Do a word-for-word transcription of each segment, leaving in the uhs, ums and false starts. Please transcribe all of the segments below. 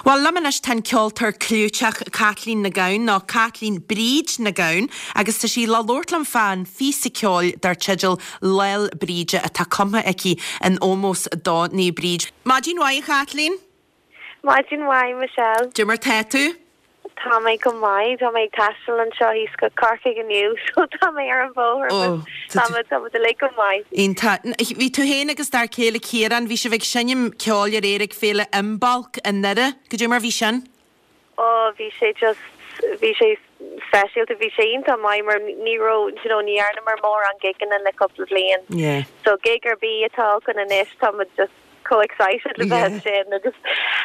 Well liom anois tá an ceoltóir clúiteach Caitlín Nic Gabhann nó Caitlín Bríd Nic Gabhann agus tá sí le labhairt liom fán phíosa ceoil dar teideal Lá'l Bríde atá cumtha aici in ómós do Naomh Bríd. Maidin mhaith Caitlín? Maidin mhaith Michelle. Cad é mar tá tú? Tá mé go maith tá mé ag taisteal anseo thíos go Corcaigh inniu so tá mé ar an bhóthar tá le go maith. Iontach bhí tú féin agus d'fhear céile Ciarán bhí sibh ag seinm ceoil aréir ag Féile Imbolc i nDoire, cad é mar bhí sin? Ó bhí sé just bhí sé speisialta bhí sé iontach maith mar ní raibh you know, ní dhearnamar mórán gigeanna le cúpla bliain. Yeah. So gig ar bith atá againn anois tá just chomh excited le bheith sin agus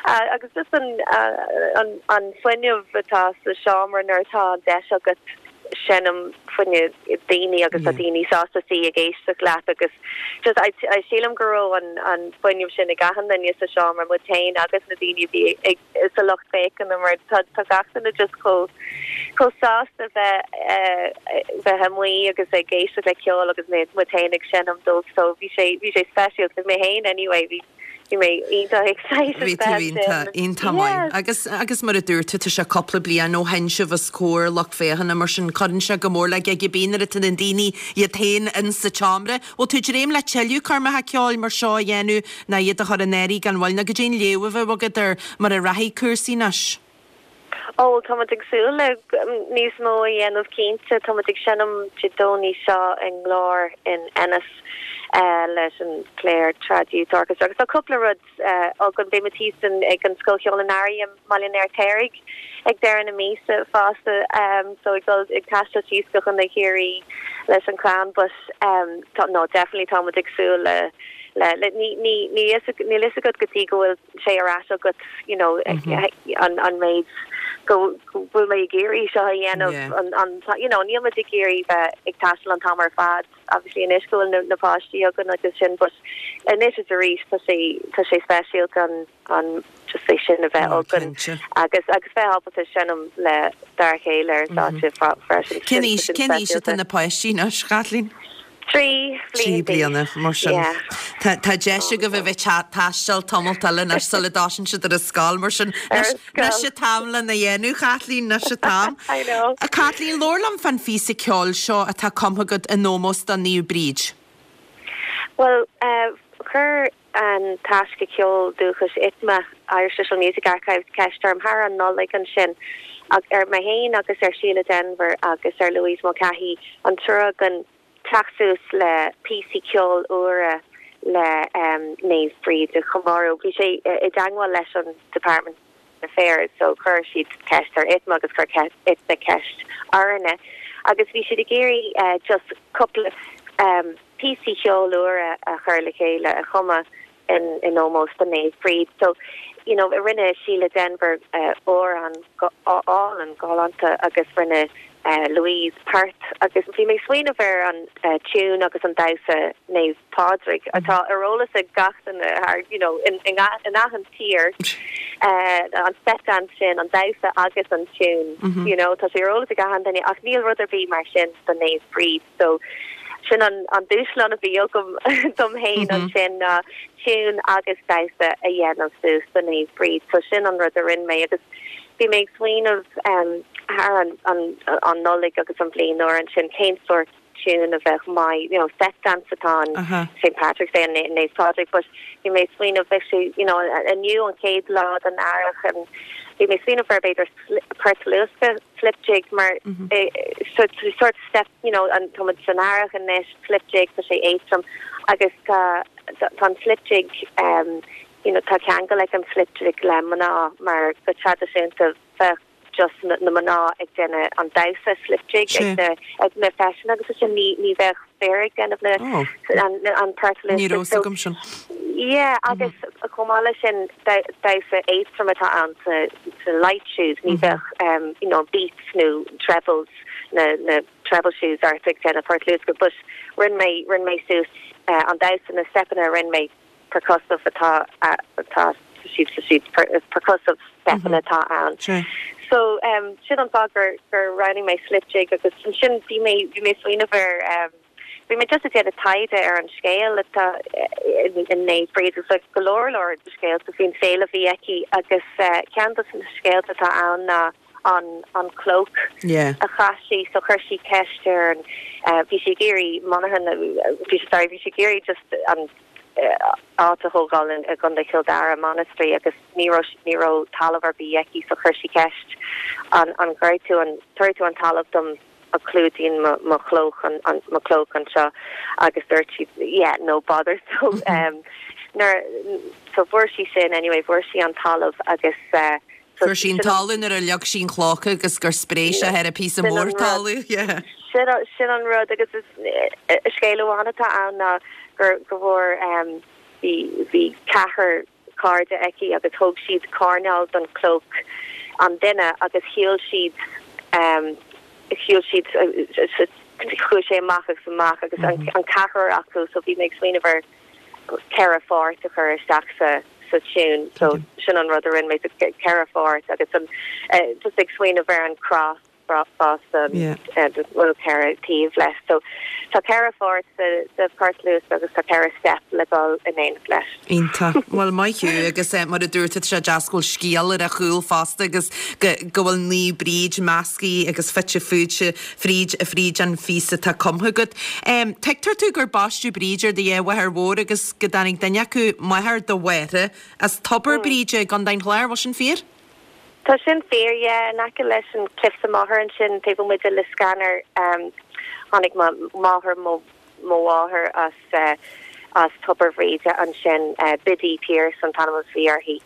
uh, agus just an uh, an an fuinneamh atá sa seomra nuair atá an deis agat seinm fá choinne daoine agus a daoine sásta suí ag éisteacht leat agus just I, I sílim go raibh an an fuinneamh sin ag achan duine sa seomra muid féin agus na daoine bhí ag sa lucht féachana mar tá tá gach duine just chomh chomh sásta bheith uh, bheith amuigh agus ag éisteacht le ceol agus mé muid féin ag seinm dóibh so bhí sé bhí sé speisialta mé féin anyway bhí bhí mé iontach excited Bhí tú iontach iontach maith. Agus agus mar a dúirt tú tá sé cúpla bliain ó sheinn sibh os comhair lucht féachana mar sin cuireann sé go mór le gig ar bith nuair atá na daoine iad féin in sa tseomra. Bhfuil tú ag dréim le tuilleadh coirmeacha ceoil mar seo a dhéanamh ná iad a chur in áirithe gan mhoill ná cad é an léamh a bheith agat ar mar a rachaidh cúrsaí anois. Ó tá ag súil le níos mó a dhéanamh cinnte tá ag seinm Dé Domhnaigh seo i nGlór in Ennis uh, leis an Clare Trad Youth Orchestra agus tá cúpla rud uh, againn beidh thíos ag an Scoil Cheoil an Earraigh i mBaile an Fheirtéaraigh ag deireadh na míosa fosta um, so ag dul ag taisteal síos go chun na Ciarraí leis an clann but um, tá, no definitely tá ag súil le le le ní ní ní ní is agat go dtí go bhfuil sé ar ais agat you know mm -hmm. an an méid go bhfuil mé ag iarraidh seo a dhéanamh an an you know níl mé ag iarraidh bheith ag taisteal an t-am ar fad obviously anois go bhfuil na, na páistí againn agus sin but anois is arís tá sé tá sé speisialta an an just é sin a bheith againn agus agus bheith ábalta seinm le dár chéile ar stáitse freisin. Cén aois cén aois atá na páistí anois Caitlín? Trí Trí bliana mar sin. Tá tá deis agaibh a bheith ag taisteal tamall eile anois sula dtosaíonn siad ar an scoil mar sin anois an t-am lena dhéanamh Caitlín anois an t-am. I know. A Caitlín labhair liom fán phíosa ceoil seo atá cumtha agat in ómós do Naomh Bríd. Well uh, chuir an taisce ceol dúchais ITMA Irish Traditional Music Archives ceist orm thar an Nollaig ansin ag ar mé féin agus ar Sheila Denver agus ar Louise Mulcahy an triúr againn teacht suas le píosaí ceoil úra le um, Naomh Bríd a chomóradh bhí sé i dteagmháil leis an Department Affairs so chuir siad ceist ar ITMA agus chuir ITMA ceist orainne agus bhí siad ag iarraidh uh, just cúpla um, píosaí ceoil úra a chur le chéile a chumadh in in ómós do Naomh Bríd so you know rinne Sheila Denver uh, amhrán álainn galánta agus rinne uh, Louise port agus bhí mé smaoineamh ar an uh, tune agus an damhsa Naomh Pádraig atá ar eolas ag gach duine you know in in, in achan tír uh, an step dance sin an damhsa agus an tune mm -hmm. you know tá sé ar eolas ag achan duine ach níl rud ar bith mar sin do Naomh Bríd so sin an an dúshlán a bhí agam dom féin mm -hmm. ansin na uh, tune agus damhsa a dhéanamh suas do Naomh Bríd so sin an rud a rinne mé agus bhí mé smaoineamh um, thar an, an, an Nollaig agus an bhliain úr ansin cén sort tune a bheith maith you know set dance atá uh -huh. St Patrick's Day and Naomh Pádraig but bhí mé smaoineamh bheith sé you know inniu an chéad lá den earrach and bhí mé smaoineamh ar b'fhéidir port luasctha slip jig mar mm -hmm. eh, so, sort step you know an tá san earrach anois slip jig tá sé éadrom agus tá tá an slip jig um, you know tá ceangal ag an slip jig le mná mar go traidisiúnta bheith just na, na mná ag déanamh an damhsa slip jig ag na ag na feiseanna agus sin ní ní bheith fear ag déanamh na oh. an an port Ní raibh agam sin. Yeah agus mm -hmm. chomh maith leis sin damhsa éadrom atá ann sa sa light shoes ní bheith um, you know beats nó trebles na na treble shoes ort ag déanamh port luasctha but rinne mé rinne mé suas uh, an damhsa na stepanna rinne mé percussive atá atá siad siad percussive stepanna atá ann. So um, sin an fáth gur gur roghnaigh mé slip jig agus sin bhí mé bhí mé smaoineamh ar um, bhí mé just ag déanamh taighde ar an scéal atá in Naomh Bríd agus like, go leor leor de scéalta faoin saol a bhí aici agus uh, ceann de na scéalta atá ann ná an an clóch Yeah. a chaith sí so chuir sí ceist ar an uh, bhí sí ag iarraidh monarcha bhí sí sorry bhí sí ag iarraidh just an uh, áit a thógáil in i gContae Chill Dara monastery agus ní raibh ní raibh talamh ar bith aici so chuir sí ceist an an gcuirfidh tú an tabharfaidh tú an talamh dom a clúdaíonn mo mo chlóch an, an mo chlóch anseo agus dúirt sí yeah no bother so um nuair so fuair sí sin anyway fuair sí an talamh agus uh, so Fuair sí an sin an- talamh nuair a leag sí an chloch agus gur spréigh sé ar a píosa Sin an mór rud. talamh. Yeah. sin sin an rud agus is eh, scéal amháin atá ann ná gur go bhfuair um, bhí bhí ceathrar cairde aici agus thóg siad coirnéal den cloch an duine agus shiúil siad um, shiúil siad chuaigh sé amach agus amach agus an, an ceathrar acu so bhí mé ag smaoineamh ar ceithre pháirt a chur isteach sa sa tune so sin an rud a rinne mé so ceithre pháirt agus an uh, just ag smaoineamh ar an cross fosta Yeah. bhfuil ceithre taobh leis so tá ceithre pháirt sa sa port luas agus tá ceithre step le dul in éineacht leis. Iontach Well maith thú agus eh, mar a dúirt sé deas go bhfuil scéal ar a chúl fosta agus go go bhfuil Naomh Bríd measctha agus fite fuaite fríd a fríd an phíosa atá cumtha agat. Um, Tuigtear tú gur baisteadh Bríd ar do dheartháir mhór agus go dtáinig duine acu máthair do mháthara as Tobar Bríde i gContae an Chláir bhfuil sin fíor? Tá sin fíor yeah, in aice leis an Cliffs Moher ansin taobh amuigh de Liscannor um, tháinig máthair mo mo mháthair as uh, as Tobar Bhríde ansin uh, Biddy Pierce an t-ainm a bhí uirthi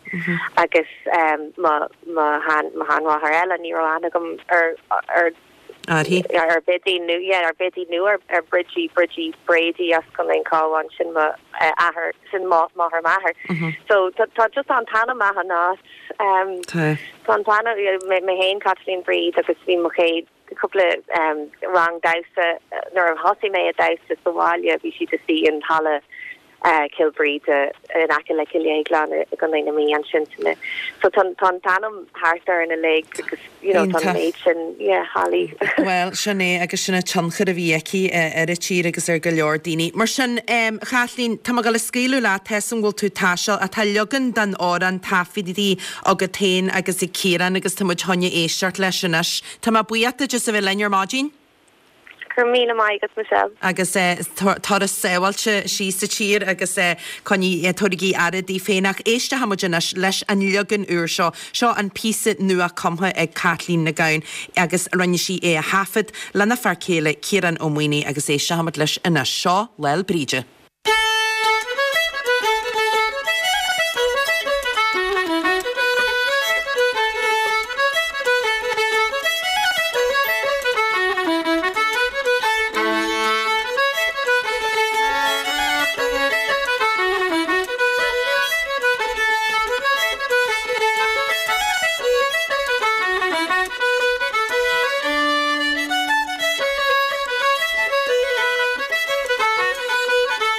agus um, mo mo han mo sheanmháthair eile ní raibh aithne agam ar ar Uirthi? ar Biddy nó yeah, ar Biddy nó ar ar Bridgie Bridgie Brady as Contae an Chabháin sin mo uh, athair sin máthair m'athar. So tá tá just an t-ainm an áit um, Tá. Tá an t-ainm mé féin Kathleen Breed agus bhí mo chéad cúpla um, rang damhsa nuair a thosaigh mé ag damhsa sa bhaile bhí siad istigh in halla uh, Cill Bhríde in aice le Cill Dhéagláin i gContae na Mí ansin sin. So tá tá t-ainm thart ar na léig agus you know tá Iontach. méid sin yeah, hallaí. Well sin é agus sin an tionchar a bhí aici eh, ar an tír agus ar go leor daoine. Mar sin um, Chathleen tá go le scaoileadh leat an bhfuil tú taisteal atá leagan den amhrán taifeadta agat féin agus ag Ciarán agus tá muid chun éisteacht leis anois. Tá mé buíoch duit a bheith linn ar maidin? Gur míle maith agat Michelle. agus eh, turas sábháilte síos sa tír agus eh, coinnigí eh, tugaigí aire daoibh féin ach éistfidh muid anois leis an leagan úr seo seo an píosa nua cumtha ag Kathleen Nic Gabhann agus rinne sí é a thaifead lena fear céile Ciarán Ó Maonaigh agus éistfidh muid leis anois seo Lá 'le Bríde. Thank you.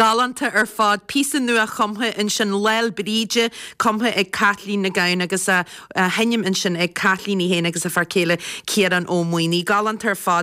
Galánta ar fad píosa nua chumtha ansin Lá'l Bríde cumtha ag Kathleen Nic Gabhann agus á sheinm ansin ag Kathleen í féin agus a fear céile Ciarán Ó Maonaigh. Galánta ar fad.